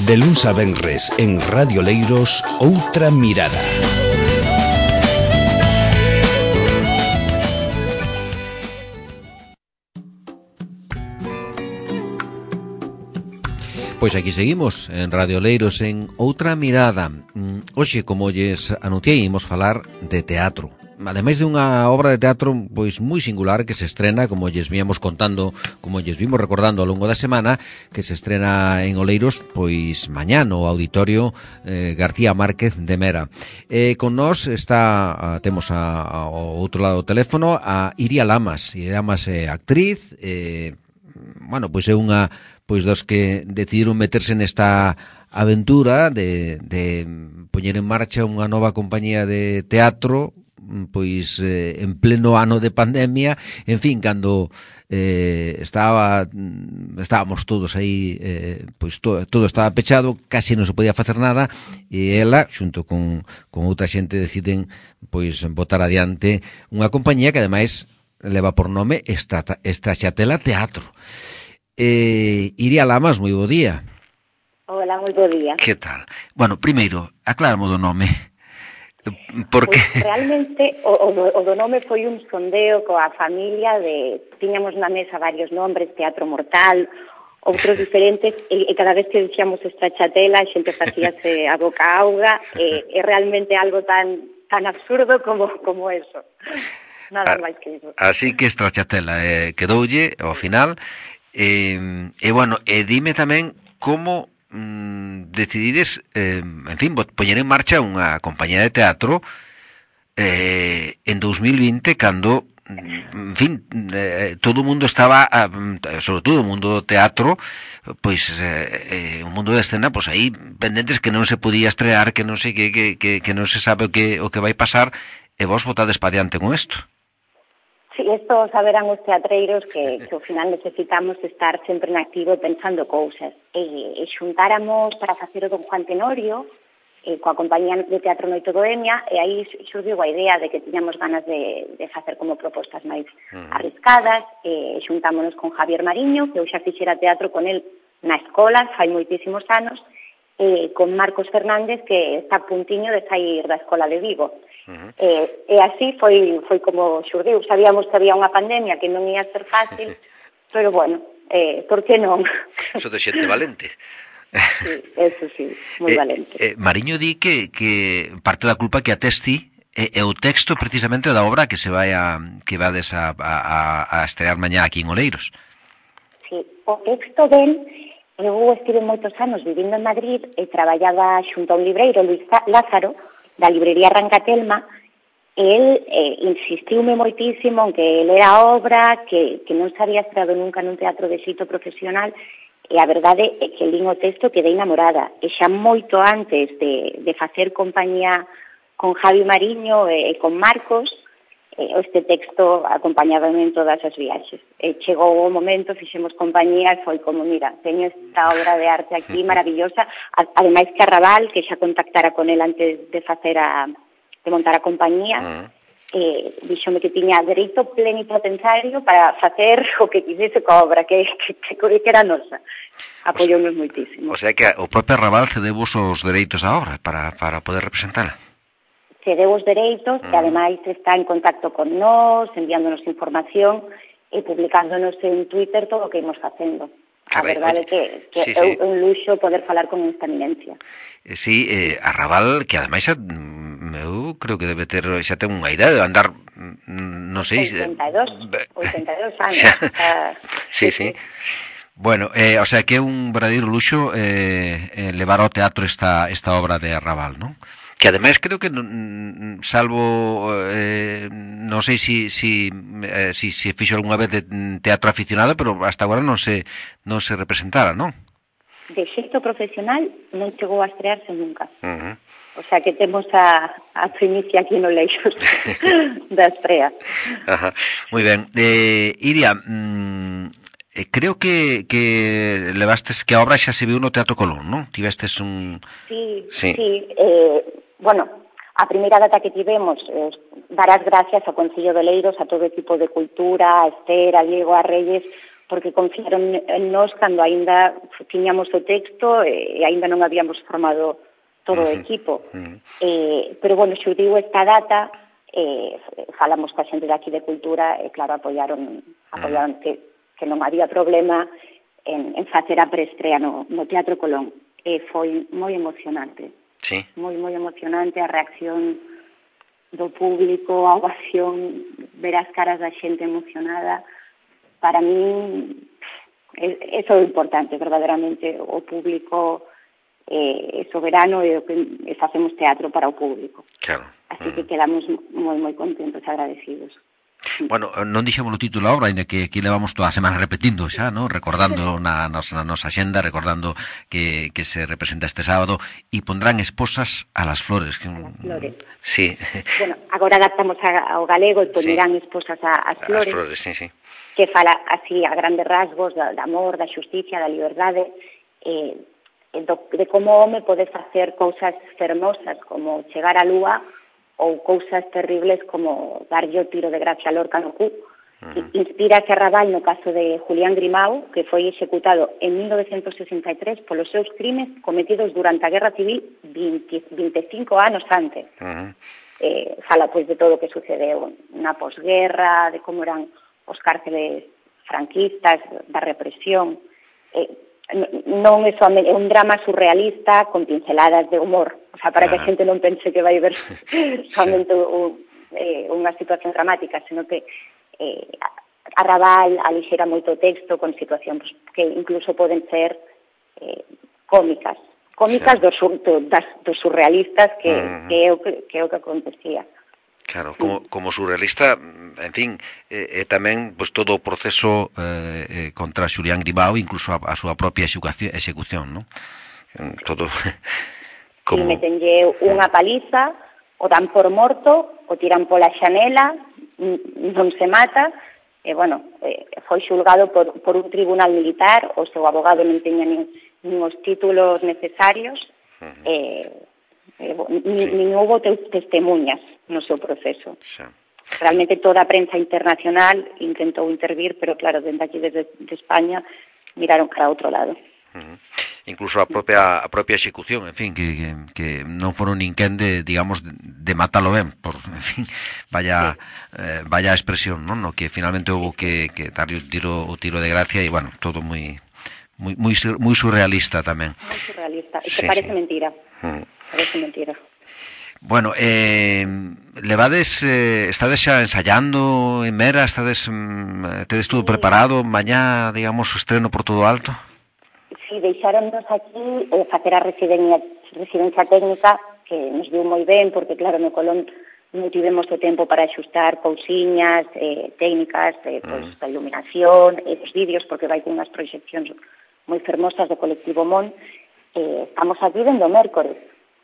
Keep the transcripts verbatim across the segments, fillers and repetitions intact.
De luns a venres en Radio Leiros, Outra Mirada. Pois aquí seguimos en Radio Leiros en Outra Mirada. Hoxe, como lles anunciei, imos falar de teatro. Ademais de unha obra de teatro pois moi singular que se estrena, como lles víamos contando, como lles vimos recordando ao longo da semana, que se estrena en Oleiros pois mañá no Auditorio eh, García Márquez de Mera. Eh, con nós está, a, temos a, a, ao outro lado do teléfono a Iria Lamas. Iria Lamas é actriz, eh, bueno, pois é unha pois dos que decidiron meterse nesta aventura de, de poñer en marcha unha nova compañía de teatro pois eh, en pleno ano de pandemia, en fin, cando eh, estaba estábamos todos aí, eh, pois to, todo estaba pechado, casi non se podía facer nada, e ela, xunto con, con outra xente, deciden pois botar adiante unha compañía que ademais leva por nome Estraxatela Teatro. Eh, Iria Lamas, moi bo día. Hola, moi bo día. Que tal? Bueno, primeiro, aclaramos do nome. Porque pues realmente o, o, o do nome foi un sondeo coa familia de tiñamos na mesa varios nombres, Teatro Mortal, outros diferentes, e, e cada vez que dixíamos Estraxatela a xente facíase a boca auga, e é realmente algo tan tan absurdo como como eso. Nada máis que eso. Así que Estraxatela eh, quedoulle ao final. E, e bueno, e dime tamén como mm, decidides, eh, en fin, poñer en marcha unha compañía de teatro eh, en dos mil vinte, cando, en fin, eh, todo o mundo estaba, sobre todo o mundo do teatro, pois, eh, eh, o mundo da escena, pois aí, pendentes que non se podía estrear, que non sei que, que, que, que non se sabe o que, o que vai pasar, e vos botades pa diante con isto. Sí, isto saberán os teatreiros que, que ao final necesitamos estar sempre en activo pensando cousas. E, e xuntáramos para facer o Don Juan Tenorio eh, coa compañía de Teatro Noite Bohemia, e aí xurdiu a idea de que tiñamos ganas de, de facer como propostas máis uh-huh. arriscadas. E xuntámonos con Javier Mariño, que eu xa fixera teatro con el na escola fai moitísimos anos, e con Marcos Fernández, que está a puntiño de sair da escola de Vigo. Uh-huh. E, e así foi foi como xurdiu. Sabíamos que había unha pandemia que non ia ser fácil, pero bueno, eh, por que non? Eso de xente valente. Sí, eso sí, moi eh, valente. Eh, Mariño di que, que parte da culpa que atesti é, é o texto precisamente da obra que se vai a, que vades a, a, a estrear mañá aquí en Oleiros. Sí, o texto del, eu estive moitos anos vivindo en Madrid e traballaba xunto a un libreiro, Luis Lázaro, da librería Rancatelma, e el eh, insistiume moitísimo en que el era obra, que, que non se había estreado nunca nun teatro de xeito profesional, e a verdade é que lín o texto quedei enamorada. E xa moito antes de, de facer compañía con Javi Mariño e, e con Marcos, eh, este texto acompañábame en todas as viaxes. E chegou o momento, fixemos compañía e foi como, mira, teño esta obra de arte aquí maravillosa, ademais que Arrabal, que xa contactara con el antes de facer a, de montar a compañía, uh-huh. eh, díxome que tiña dereito plenipotenciario para facer o que quisese coa obra, que, que, que, que era nosa. Apoyounos moitísimo. O sea que o propio Arrabal cedevos os dereitos á obra para, para poder representala. Cedeu os dereitos uh-huh. e ademais está en contacto con nós, enviándonos información e publicándonos en Twitter todo o que imos facendo. A verdade é que, que sí, é sí. un luxo poder falar con esta eminencia. Eh, sí, eh, Arrabal, que ademais xa, eu creo que debe ter, xa ten unha idea de andar, non sei... oitenta e dos, oitenta e dos anos. uh, sí, sí, sí. Bueno, eh, o sea que é un verdadeiro luxo eh, eh, levar ao teatro esta, esta obra de Arrabal, non? Que ademais creo que salvo eh, non sei si si eh, si se fixo algunha vez de teatro aficionado, pero hasta agora non se non se representara, non? De xeito profesional non chegou a estrearse nunca. Uh-huh. O sea que temos a, a primicia aquí no Leixos da estrea. Ajá. Moi ben. Eh, Iria, mmm, eh, creo que, que levastes que a obra xa se viu no Teatro Colón, non? Tivestes un... Sí, sí. sí eh, bueno, a primeira data que tivemos, eh, dar as gracias ao Concello de Oleiros, a todo o equipo de cultura, a Esther, a Diego, a Reyes, porque confiaron en nós cando aínda tiñamos o texto e aínda non habíamos formado todo o equipo. Uh-huh. eh, pero, bueno, xurdiu esta data, eh, falamos coa xente de aquí de Cultura e, claro, apoiaron, apoiaron uh-huh. que, que non había problema en, en facer a preestrea no, no Teatro Colón. E foi moi emocionante. Sí. Moi, moi emocionante a reacción do público, a ovación, ver as caras da xente emocionada. Para mí, eso é importante, verdadeiramente, o público é soberano e que facemos teatro para o público. Claro. Así que quedamos moi, moi contentos e agradecidos. Bueno, non dixemos o título agora, ainda que aquí levamos toda a semana repetindo xa, ¿no? Recordando na nosa, na nosa xenda, recordando que, que se representa este sábado, e pondrán Esposas a las flores. Que... A las flores. Sí. Bueno, agora adaptamos ao galego e pondrán sí. Esposas a, as flores. A las flores, sí, sí. Que fala así a grandes rasgos da, da amor, da xusticia, da liberdade, eh, do, de como o home pode facer cousas fermosas como chegar á lúa ou cousas terribles como darlle o tiro de gracia a Lorca no cu. Uh-huh. Inspira a Serrabal no caso de Julián Grimao, que foi executado en mil novecientos sesenta e tres polos seus crimes cometidos durante a Guerra Civil vinte, veinticinco anos antes. Uh-huh. Eh, fala pois de todo o que sucedeu na posguerra, de como eran os cárceles franquistas, da represión. Eh, non é somente é un drama surrealista con pinceladas de humor, o sea, para ah. que a xente non pense que vai ver somente un, eh, unha situación dramática, senón que eh, a Raval alixera moito texto con situacións que incluso poden ser eh, cómicas, cómicas sí. dos, do, das, dos surrealistas que, uh-huh. que, é o que, que é o que acontecía. Claro, como, como surrealista, en fin, é eh, eh, tamén pues, todo o proceso eh, eh, contra Xulián Grimao, incluso a, a súa propia execución, execución, ¿no? Todo como... Si metenlle unha paliza, o dan por morto, o tiran pola xanela, non se mata, e, bueno, eh, foi xulgado por, por un tribunal militar, o seu abogado non teña nin, nin os títulos necesarios, uh-huh. eh, eh, nin, sí. nin houve testemunhas no seu proceso. Sí. Realmente toda a prensa internacional intentou intervir, pero claro, dende aquí desde de España miraron cara a outro lado. Uh-huh. Incluso a propia a propia execución, en fin, que, que, que non foron ninguén de, digamos, de, de matalo ben, por, en fin, vaya sí. eh, vaya expresión, non? No que finalmente houve que, que darle o tiro o tiro de gracia e, bueno, todo moi moi moi, moi surrealista tamén. Moi surrealista, e que sí, parece sí. mentira. Uh-huh. Parece mentira. Bueno, eh, levades, eh, estades xa ensayando en Mera, estades, mm, tedes todo preparado, mañá, digamos, o estreno por todo alto? Sí, deixáronnos aquí eh, facer a residencia, residencia técnica, que nos viu moi ben, porque, claro, no Colón non tivemos o tempo para axustar cousiñas, eh, técnicas, eh, pues, mm. a iluminación, eh, os vídeos, porque vai con unhas proxeccións moi fermosas do colectivo Mon. Eh, estamos aquí dende o mércores.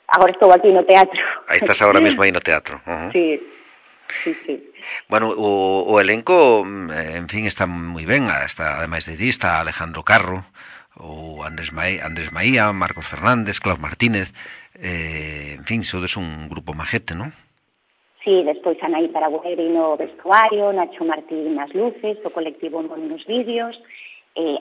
Agora estou aquí no teatro. Aí estás agora mesmo aí no teatro. Uh-huh. Sí, sí, sí. Bueno, o, o elenco, en fin, está moi ben. Está, ademais de ti, está Alejandro Carro, o Andrés, Maí, Andrés Maía, Marcos Fernández, Claus Martínez. Eh, en fin, sodes un grupo majete, non? Sí, despois Anaí Paragueri no vestuario, Nacho Martín nas luces, o colectivo nos vídeos, eh,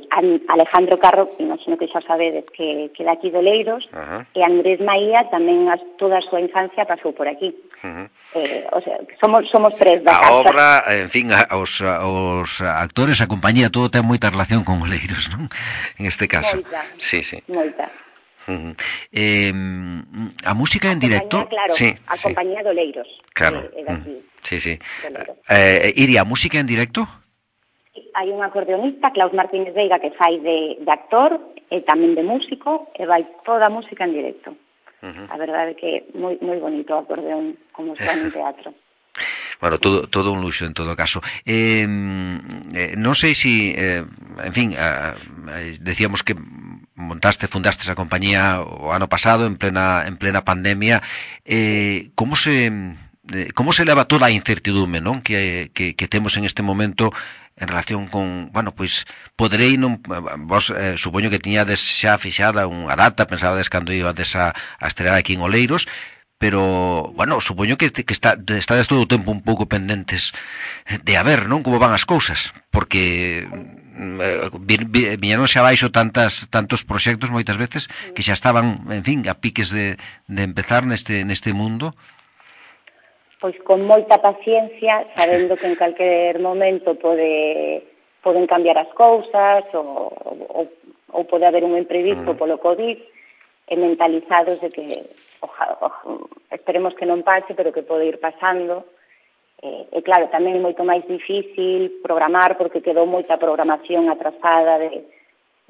Alejandro Carro, imagino que xa sabedes que, que daqui de Oleiros, uh-huh. e Andrés Maía tamén as, toda a súa infancia pasou por aquí. Uh-huh. eh, o sea, somos, somos tres da casa. A obra, en fin, a, os, os actores, a compañía, todo ten moita relación con Oleiros, non? En este caso. Moita, sí, sí. moita. Uh-huh. Eh, a música en directo, claro, sí, a sí. compañía de Oleiros. Claro. Eh, uh-huh. Sí, sí. Eh, Iria, música en directo? Hai un acordeonista, Claus Martínez Veiga, que fai de, de actor e tamén de músico, e vai toda a música en directo. Uh-huh. A verdade é que é moi, moi bonito o acordeón como está en teatro. Bueno, todo todo un luxo en todo caso. Eh, eh, non sei se, eh, en fin, eh, decíamos que montaste, fundaste esa compañía o ano pasado en plena en plena pandemia. Eh, como se como se leva toda a incertidume, non, que que que temos en este momento en relación con, bueno, pois poderei non, vos eh, supoño que tiñades xa fixada unha data, pensabades cando ibades a, a estrear aquí en Oleiros, pero, bueno, supoño que, que está, estades todo o tempo un pouco pendentes de a ver, non, como van as cousas, porque viñeron xa abaixo tantas, tantos proxectos moitas veces que xa estaban, en fin, a piques de, de empezar neste, neste mundo. Pois con moita paciencia, sabendo que en calquer momento pode, poden cambiar as cousas ou, ou, ou pode haber un imprevisto mm. polo COVID, e mentalizados de que oja, oja, esperemos que non pase, pero que pode ir pasando. E, e claro, tamén é moito máis difícil programar, porque quedou moita programación atrasada de,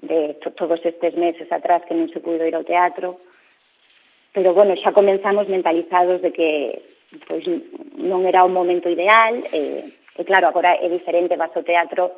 de to, todos estes meses atrás que non se pudo ir ao teatro. Pero, bueno, xa comenzamos mentalizados de que pois, non era o momento ideal, e, e claro, agora é diferente, vas ao teatro,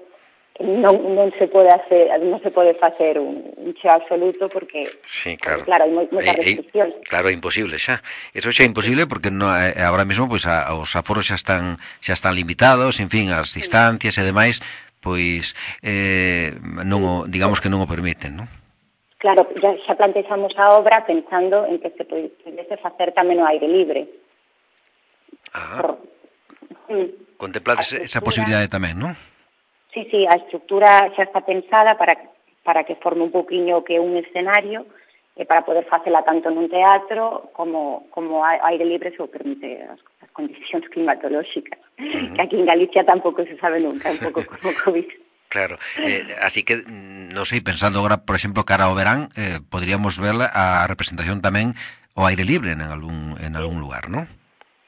non, non se pode hacer, non se pode facer un, un cheo absoluto porque, sí, claro, porque, claro, hai moitas restriccións. Claro, é imposible xa. Eso xa é imposible porque no, eh, agora mesmo pois, a, os aforos xa están xa están limitados, en fin, as distancias e demais, pois eh, non o, digamos que non o permiten, non? Claro, xa, xa plantexamos a obra pensando en que se pudese facer tamén o aire libre. Ah. Por, mm, contemplades esa posibilidade tamén, non? Sí, sí, a estructura xa está pensada para, para que forme un poquinho que un escenario e para poder facela tanto nun teatro como, como a aire libre se o permite as, as condicións climatolóxicas, uh-huh. que aquí en Galicia tampouco se sabe nunca, un pouco como COVID. Claro, eh, así que, non sei, pensando agora, por exemplo, cara ao verán, eh, podríamos ver a representación tamén ao aire libre en algún, en algún lugar, non?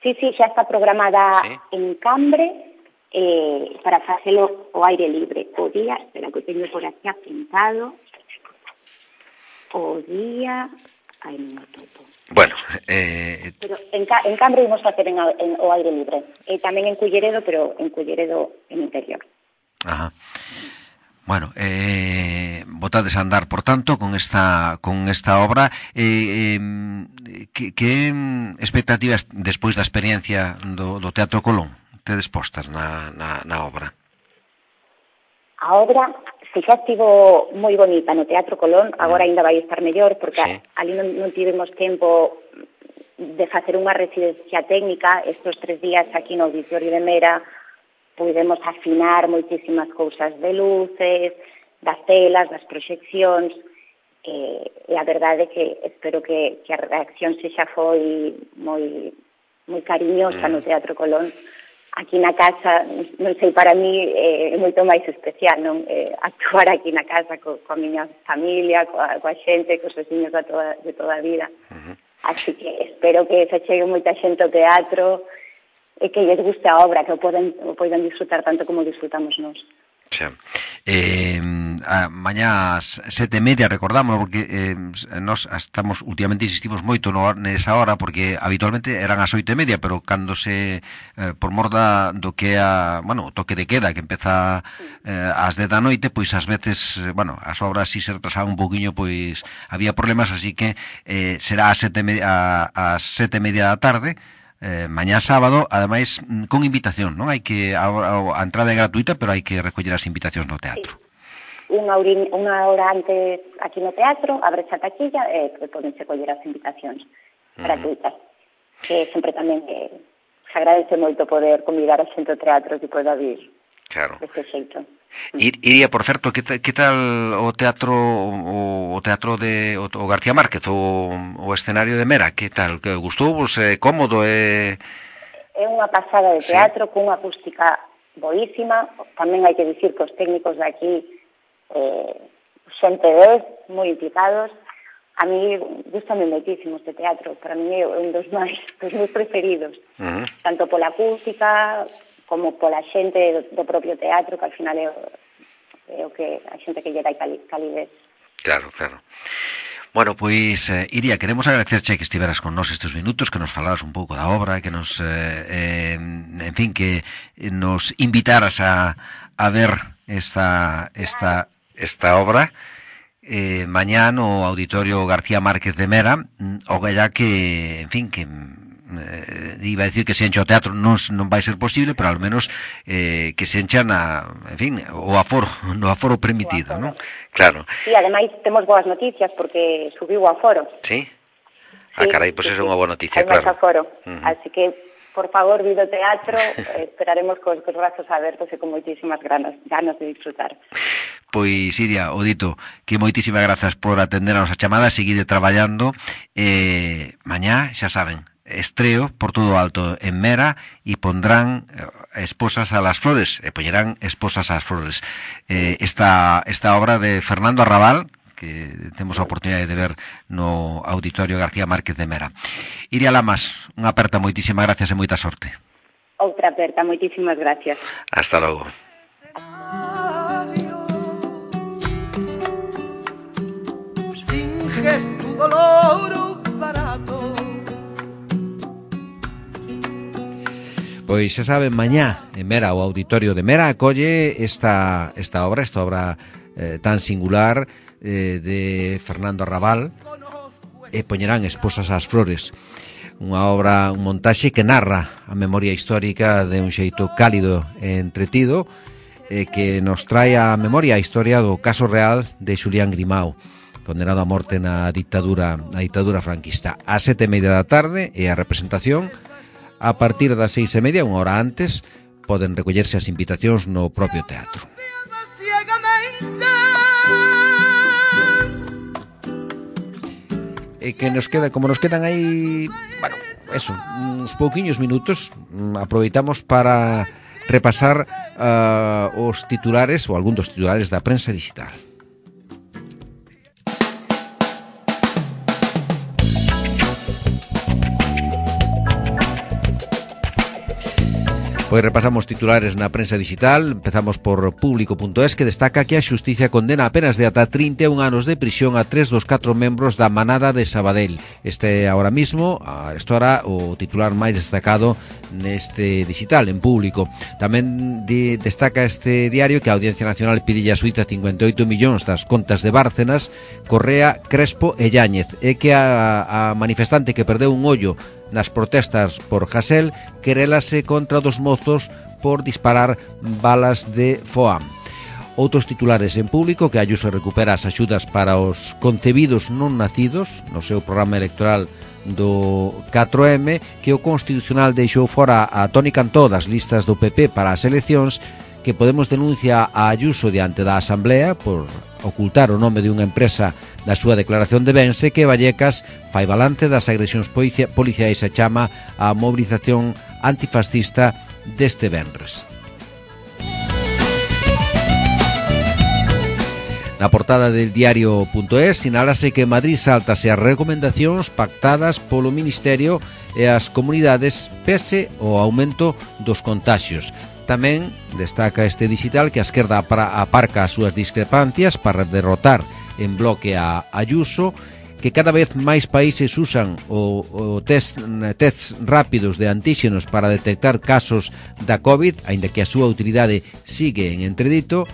Sí, sí, xa está programada sí. en Cambre, Eh, para facelo o aire libre o día, espera que teño por aquí apuntado o día ai, non o topo bueno eh... pero en, en Cambre imos facer en, en, o aire libre e tamén en Culleredo, pero en Culleredo en interior. Ajá. Bueno, eh, botades a andar, por tanto, con esta con esta obra. Eh, eh, que, que expectativas despois da experiencia do, do Teatro Colón tedes postas na, na, na obra? A obra, se xa estivo moi bonita no Teatro Colón, agora ainda vai estar mellor, porque sí. ali non, non tivemos tempo de facer unha residencia técnica. Estes tres días aquí no Auditorio de Mera pudemos afinar moitísimas cousas de luces, das telas, das proxeccións, e, e a verdade é que espero que, que a reacción se xa foi moi, moi cariñosa mm. no Teatro Colón. Aquí na casa, non sei, para mí é moito máis especial, non? Eh, actuar aquí na casa co, coa miña familia, coa, coa xente, cos veciños de toda, de toda a vida. Uh-huh. Así que espero que se chegue moita xente ao teatro e que lles guste a obra, que o poden, o poden disfrutar tanto como disfrutamos nós. Xa. Eh, a mañá ás sete e media, recordamos, porque eh, nós estamos, últimamente insistimos moito no, nesa hora, porque habitualmente eran as oito e media, pero cando se, eh, por mor da, do que a, bueno, o toque de queda, que empeza eh, ás dez da noite, pois ás veces, bueno, as obras si se retrasaban un poquinho, pois había problemas, así que eh, será ás sete e media, a, ás sete e media da tarde, Eh, mañá sábado, ademais con invitación, non? Hai que a, a, a entrada é gratuita, pero hai que recoller as invitacións no teatro. Sí. Unha, hora, unha hora antes aquí no teatro, abre a taquilla e eh, podense coller as invitacións uh-huh. gratuitas. Que sempre tamén eh, se agradece moito poder convidar a xente ao teatro que poda vir claro. deste xeito. Ir, iría, por certo, que, que tal o teatro o, o teatro de o, o García Márquez, o, o escenario de Mera, que tal? Que gustou vos? É cómodo? É... é unha pasada de teatro, sí. Cunha acústica boísima. Tamén hai que dicir que os técnicos de aquí eh, xente dez, moi implicados. A mí gustame moitísimo este teatro, para mí é un dos máis dos meus preferidos, uh-huh. tanto pola acústica como pola xente do, do propio teatro, que al final é o, é o que a xente que lle dá calidez. Claro, claro. Bueno, pois, eh, Iria, queremos agradecerche que estiveras con nós estes minutos, que nos falaras un pouco da obra, que nos, eh, eh, en fin, que nos invitaras a, a ver esta, esta, esta obra. Eh, mañá no Auditorio García Márquez de Mera, o ya que, en fin, que eh, iba a decir que se encha o teatro non, non vai ser posible, pero ao menos eh, que se encha na, en fin, o aforo, no aforo permitido, non? Claro. Sí, ademais temos boas noticias porque subiu o aforo. Sí? Ah, sí, carai, pois pues sí, é unha boa noticia, hai claro. Hai máis aforo, uh-huh. así que por favor, vido teatro, eh, esperaremos cos, cos brazos abertos e con moitísimas ganas, ganas de disfrutar. Pois, Iria, o dito, que moitísimas grazas por atender a nosa chamada, seguide traballando, eh, mañá, xa saben, estreo por todo alto en Mera e pondrán eh, Esposas a las Flores, e poñerán Esposas a las Flores. Eh, esta, esta obra de Fernando Arrabal, que temos a oportunidade de ver no Auditorio García Márquez de Mera. Iria Lamas, unha aperta, moitísimas gracias e moita sorte. Outra aperta, moitísimas gracias. Hasta logo. Finges tu dolor barato. Pois xa saben, mañá en Mera, o Auditorio de Mera acolle esta, esta obra, esta obra eh, tan singular eh, de Fernando Arrabal, e poñerán Esposas ás Flores, unha obra, un montaxe que narra a memoria histórica de un xeito cálido e entretido, e que nos trae a memoria a historia do caso real de Xulián Grimao, condenado a morte na dictadura, na dictadura franquista. A sete e media da tarde e a representación a partir das seis e media, unha hora antes, poden recollerse as invitacións no propio teatro. E que nos queda, como nos quedan aí, bueno, eso, uns pouquiños minutos, aproveitamos para repasar uh, os titulares, ou algún dos titulares da prensa digital. Pois repasamos titulares na prensa digital. Empezamos por público punto es, que destaca que a xustiza condena apenas de ata trinta e un anos de prisión a tres dos catro membros da manada de Sabadell. Este ahora mismo, a esta hora, o titular máis destacado neste digital, en público. Tamén de, destaca este diario que a Audiencia Nacional pide a Suíza cincuenta e oito millóns das contas de Bárcenas, Correa, Crespo e Yáñez, e que a, a manifestante que perdeu un ollo nas protestas por Hasel querélase contra dos mozos por disparar balas de Foam. Outros titulares en público, que Ayuso recupera as axudas para os concebidos non nacidos no seu programa electoral do catro eme, que o Constitucional deixou fora a Toni Cantó das listas do P P para as eleccións, que Podemos denuncia a Ayuso diante da Asamblea por ocultar o nome de unha empresa da súa declaración de bens, e que Vallecas fai balance das agresións policiais e chama a mobilización antifascista deste venres. Na portada del diario punto es sinálase que Madrid sáltase as recomendacións pactadas polo Ministerio e as comunidades pese ao aumento dos contaxios. Tamén destaca este digital que a esquerda aparca as súas discrepancias para derrotar en bloque a Ayuso, que cada vez máis países usan o, o test, tests rápidos de antíxenos para detectar casos da COVID, aínda que a súa utilidade sigue en entredito,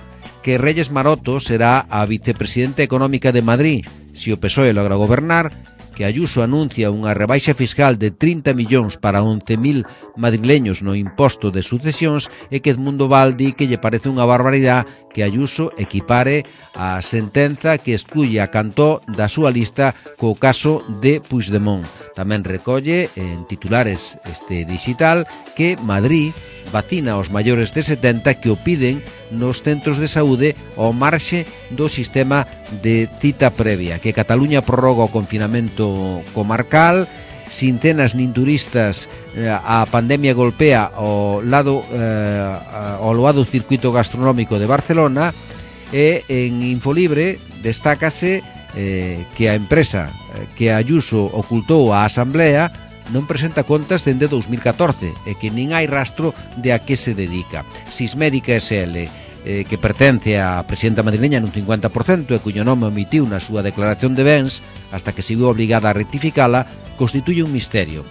que Reyes Maroto será a vicepresidenta económica de Madrid se o P S O E logra gobernar, que Ayuso anuncia unha rebaixa fiscal de trinta millóns para once mil madrileños no imposto de sucesións, e que Edmundo Val di que lle parece unha barbaridade que Ayuso equipare a sentenza que excluye a Cantó da súa lista co caso de Puigdemont. Tamén recolle en titulares este digital que Madrid vacina aos maiores de setenta que o piden nos centros de saúde ao marxe do sistema de cita previa, que Cataluña prorroga o confinamento comarcal, sin cenas nin turistas, eh, a pandemia golpea ao lado eh, ao loado circuito gastronómico de Barcelona, e en Infolibre destácase eh, que a empresa eh, que Ayuso ocultou á Asamblea non presenta contas dende dous mil catorce e que nin hai rastro de a que se dedica. Sismédica S L, eh, que pertence á presidenta madrileña nun cincuenta por cento e cuyo nome omitiu na súa declaración de bens hasta que se viu obligada a rectificala, constituye un misterio.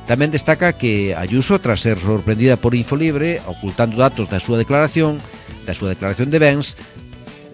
Tamén destaca que Ayuso, tras ser sorprendida por Infolibre, ocultando datos da súa declaración, da súa declaración de bens,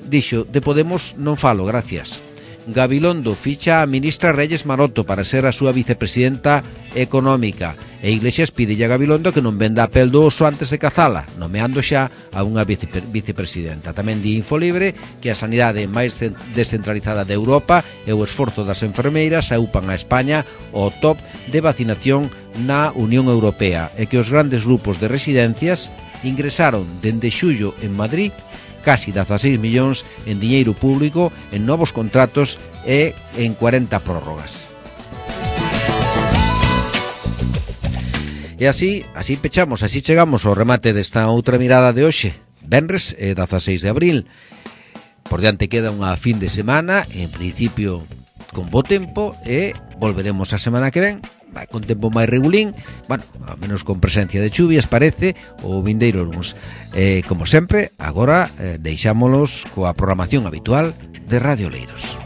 dixo: de Podemos non falo, gracias. Gabilondo ficha a ministra Reyes Maroto para ser a súa vicepresidenta económica. E Iglesias pide a Gabilondo que non venda a pel do oso antes de cazala, nomeando xa a unha vice, vicepresidenta. Tamén di Infolibre que a sanidade máis descentralizada de Europa e o esforzo das enfermeiras aupan a España ao top de vacinación na Unión Europea e que os grandes grupos de residencias ingresaron dende xullo en Madrid casi dezaseis millóns en diñeiro público en novos contratos e en cuarenta prórrogas. E así, así pechamos, así chegamos ao remate desta outra mirada de hoxe, venres e dezaseis de abril. Por diante queda unha fin de semana, en principio con bo tempo, e volveremos a semana que ven, con tempo máis regulín, bueno, a menos con presencia de chuvias, parece, o vindeiro luns. Eh, como sempre, agora eh, deixámolos coa programación habitual de Radio Leiros.